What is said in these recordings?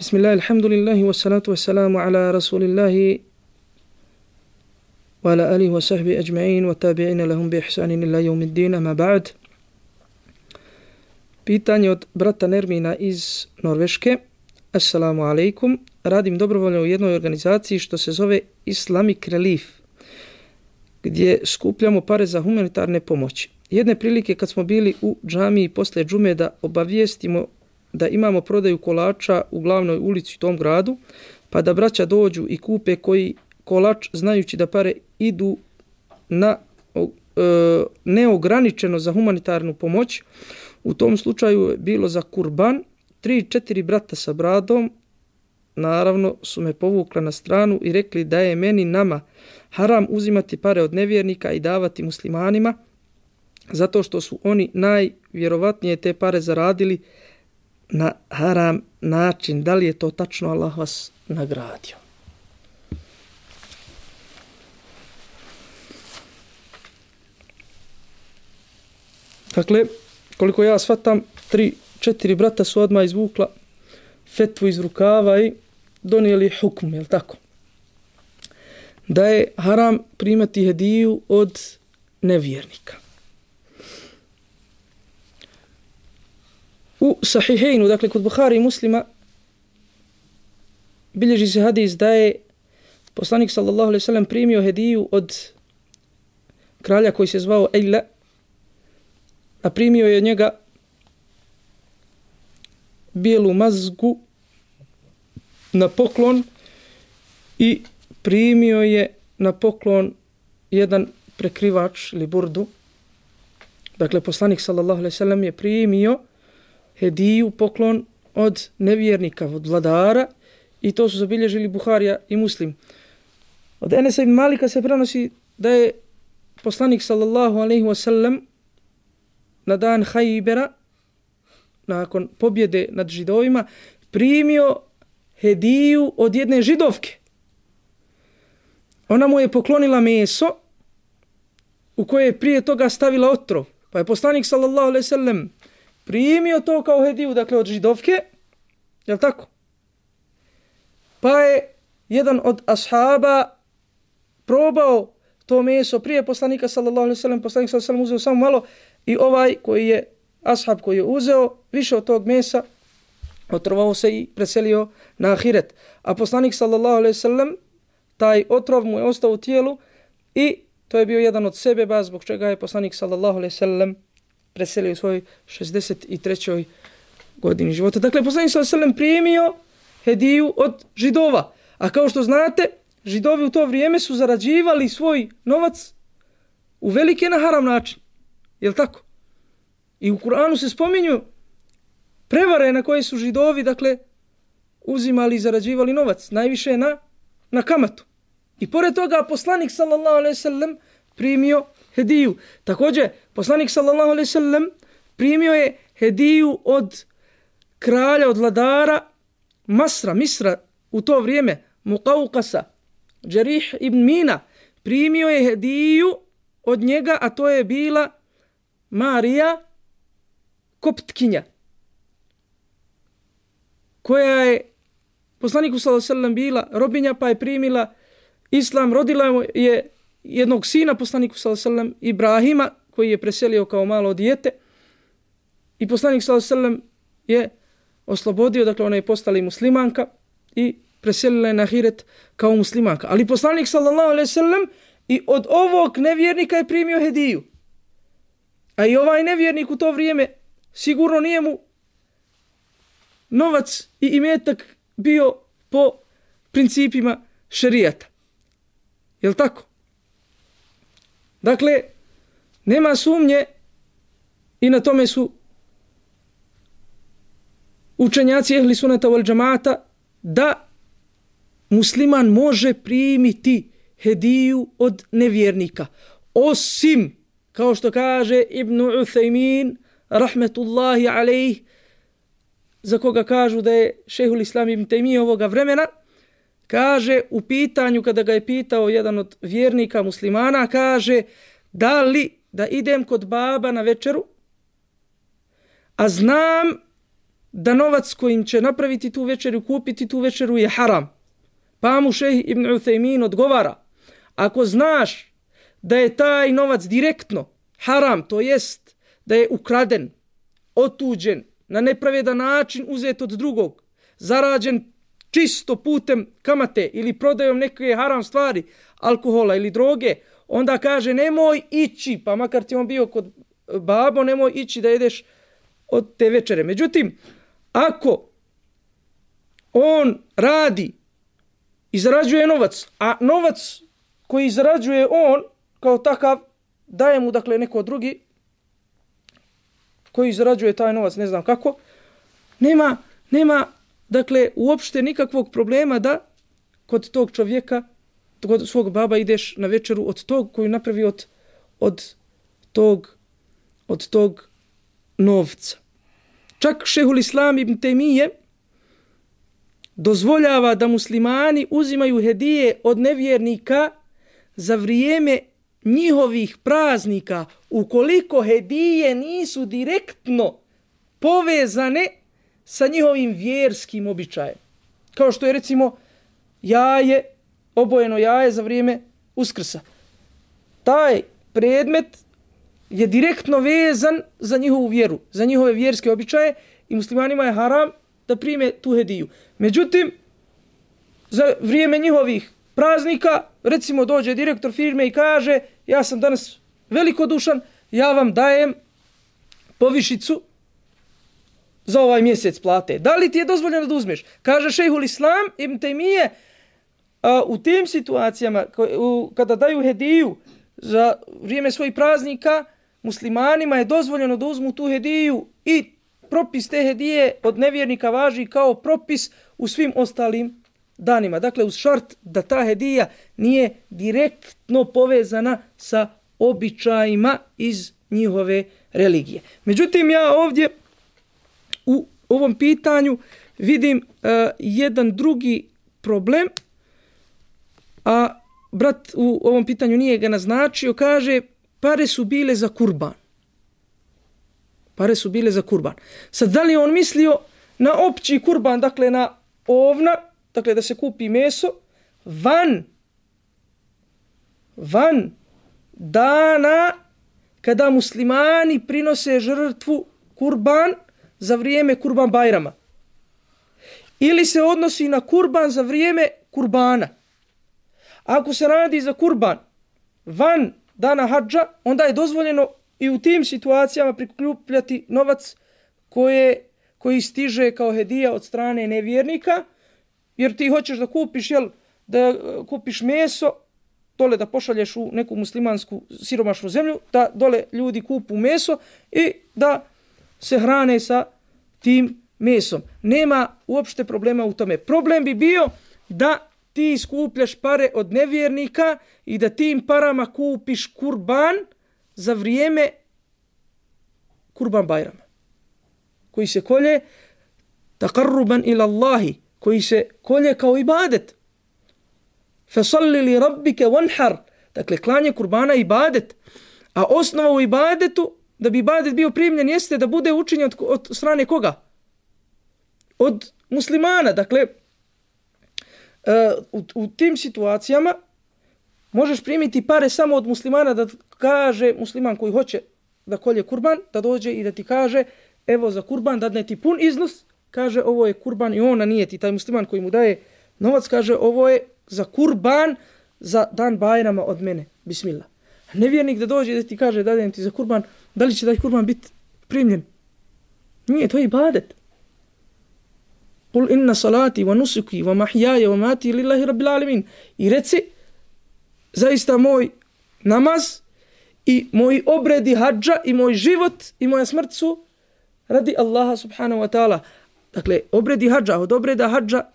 Bismillah, alhamdulillahi, wassalatu wassalamu ala rasulillahi wa ala alihi wa sahbihi ajma'in wa tabi'ina lahum bi ihsanin ila yawmiddin, ama ba'd. Pitanje od brata Nermina iz Norveške. Assalamu alaikum. Radim dobrovoljno u jednoj organizaciji što se zove Islamic Relief, gdje skupljamo pare za humanitarne pomoći. Jedne prilike kad smo bili u džamiji posle džume da obavijestimo da imamo prodaju kolača u glavnoj ulici u tom gradu, pa da braća dođu i kupe koji kolač, znajući da pare idu na neograničeno za humanitarnu pomoć. U tom slučaju je bilo za kurban. 3-4 brata sa bradom naravno su me povukla na stranu i rekli da je meni nama haram uzimati pare od nevjernika i davati muslimanima, zato što su oni najvjerovatnije te pare zaradili na haram način. Da li je to tačno? Allah vas nagradio. Dakle, koliko ja shvatam, 3-4 brata su odmah izvukla fetvu iz rukava i donijeli hukm, jel tako? Da je haram primati hediju od nevjernika. U Sahihejnu, dakle kod Buhari i Muslima, bilježi se hadis da je poslanik sallallahu alejhi ve sellem primio hediju od kralja koji se zvao Ejla, a primio je od njega bijelu mazgu na poklon i primio je na poklon jedan prekrivač ili burdu. Dakle, poslanik sallallahu alejhi ve sellem je primio hediju, poklon od nevjernika, od vladara, i to su zabilježili Buharija i Muslim. Od Enesa ibn Malika se prenosi da je poslanik sallallahu alejhi ve sellem na dan Hajbera, nakon pobjede nad Židovima, primio hediju od jedne Židovke. Ona mu je poklonila meso u koje je prije toga stavila otrov. Pa je poslanik sallallahu alejhi ve sellem primio to kao hediju, dakle od Židovke, jel tako? Pa je jedan od ashaba probao to meso prije poslanika sallallahu alejhi ve sellem, poslanik sallallahu alejhi ve sellem uzeo samo malo i ovaj koji je ashab koji je uzeo više od tog mesa otrovao se i preselio na ahiret. A poslanik sallallahu alejhi ve sellem, taj otrov mu je ostao u tijelu i to je bio jedan od sebeba zbog čega je poslanik sallallahu alejhi ve sellem preselio u svojoj 63. godini života. Dakle, poslanik sallallahu alejhi ve sellem primio hediju od Židova. A kao što znate, Židovi u to vrijeme su zarađivali svoj novac u velike na haram način. Jel tako? I u Kur'anu se spominju prevare na koje su Židovi, dakle, uzimali i zarađivali novac. Najviše na kamatu. I pored toga poslanik sallallahu alejhi ve sellem primio hediju. Također, poslanik sallallahu alejhi ve sellem primio je hediju od kralja, od vladara Misra u to vrijeme, Muqawqasa, Džarih ibn Mina. Primio je hediju od njega, a to je bila Marija Koptkinja, koja je poslaniku sallallahu alejhi ve sellem bila robinja, pa je primila islam. Rodila je jednog sina poslaniku sallallahu alejhi ve sellem, Ibrahima, koji je preselio kao malo dijete, i poslanik sallallahu alejhi ve sellem je oslobodio, dakle ona je postala i muslimanka i preselila je na ahiret kao muslimanka. Ali poslanik sallallahu alejhi ve sellem i od ovog nevjernika je primio hediju. A i ovaj nevjernik u to vrijeme sigurno nije mu novac i imetak bio po principima šerijata. Jel tako? Dakle, nema sumnje i na tome su učenjaci ehli sunata wal džamata da musliman može primiti hediju od nevjernika. Osim, kao što kaže Ibn Uthaymin, rahmetullahi alejh, za koga kažu da je šejhul islam ibn Tejmije ovoga vremena, kaže u pitanju kada ga je pitao jedan od vjernika muslimana, kaže da li da idem kod baba na večeru, a znam da novac kojim će napraviti tu večeru, kupiti tu večeru je haram. Pa mu šejh Ibn Uthejmin odgovara, ako znaš da je taj novac direktno haram, to jest da je ukraden, otuđen, na nepravedan način uzet od drugog, zarađen čisto putem kamate ili prodajom neke haram stvari, alkohola ili droge, onda kaže nemoj ići, pa makar ti on bio kod babo, nemoj ići da jedeš od te večere. Međutim, ako on radi i zarađuje novac, a novac koji zarađuje on kao takav daje mu dakle neko drugi koji zarađuje taj novac, ne znam kako, nema dakle uopšte nikakvog problema da kod tog čovjeka, kod svog baba ideš na večeru od tog koji napravi od tog novca. Čak šehul Islam ibn Tejmije dozvoljava da muslimani uzimaju hedije od nevjernika za vrijeme njihovih praznika, ukoliko hedije nisu direktno povezane sa njihovim vjerskim običajem. Kao što je recimo jaje, obojeno jaje za vrijeme Uskrsa. Taj predmet je direktno vezan za njihovu vjeru, za njihove vjerske običaje i muslimanima je haram da prime tu hediju. Međutim, za vrijeme njihovih praznika, recimo dođe direktor firme i kaže ja sam danas velikodušan, ja vam dajem povišicu za ovaj mjesec plate. Da li ti je dozvoljeno da uzmeš? Kaže šejhul Islam ibn Tejmije, u tim situacijama kada daju hediju za vrijeme svojih praznika, muslimanima je dozvoljeno da uzmu tu hediju i propis te hedije od nevjernika važi kao propis u svim ostalim danima. Dakle, uz šart da ta hedija nije direktno povezana sa običajima iz njihove religije. Međutim, ja ovdje u ovom pitanju vidim jedan drugi problem, a brat u ovom pitanju nije ga naznačio, kaže pare su bile za kurban. Pare su bile za kurban. Sad, da li on mislio na opći kurban, dakle na ovna, dakle da se kupi meso, van dana kada muslimani prinose žrtvu kurban za vrijeme kurban bajrama. Ili se odnosi na kurban za vrijeme kurbana. Ako se radi za kurban van dana hadža, onda je dozvoljeno i u tim situacijama prikupljati novac koji stiže kao hedija od strane nevjernika, jer ti hoćeš da kupiš, da kupiš meso, dole da pošalješ u neku muslimansku siromašnu zemlju, da dole ljudi kupu meso i da se hrane sa tim mesom. Nema uopšte problema u tome. Problem bi bio da ti skupljaš pare od nevjernika i da tim parama kupiš kurban za vrijeme kurban bajrama, koji se kolje taqarruban ila Allahi, koji se kolje kao ibadet. Fasalli li rabbike wanhar, dakle klanje kurbana ibadet, a osnova u ibadetu, da bi ibadet bio primljen, jeste da bude učinjen od strane koga? Od muslimana. Dakle, u tim situacijama možeš primiti pare samo od muslimana, da kaže musliman koji hoće da kolje kurban, da dođe i da ti kaže evo za kurban dadne ti pun iznos, kaže ovo je kurban i ona nije ti, taj musliman koji mu daje novac kaže ovo je za kurban za dan bajrama od mene, bismillah. A nevjernik da dođe i da ti kaže dajem ti za kurban, da li će taj kurban biti primljen? Nije, to je ibadet. Kul inna salati wa nusuki wa mahyaja wa mati lillahi rabbil alamin. I reci, zaista moj namaz i moji obredi hadža i moj život i moja smrt su radi Allaha subhanahu wa ta'ala. Dakle, obredi hadža, od obreda hadža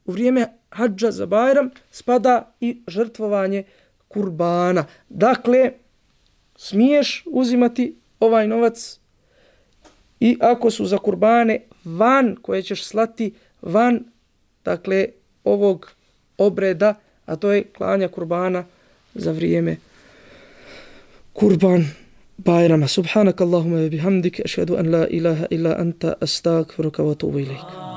u vrijeme hadža za Bajram spada i žrtvovanje kurbana. Dakle, smiješ uzimati ovaj novac i ako su za kurbane van koje ćeš slati van, dakle, ovog obreda, a to je klanja kurbana za vrijeme kurban Bajrama. Subhanak Allahumma bihamdik, ašhadu an la ilaha illa anta, astagfiruka wa atubu ilaik.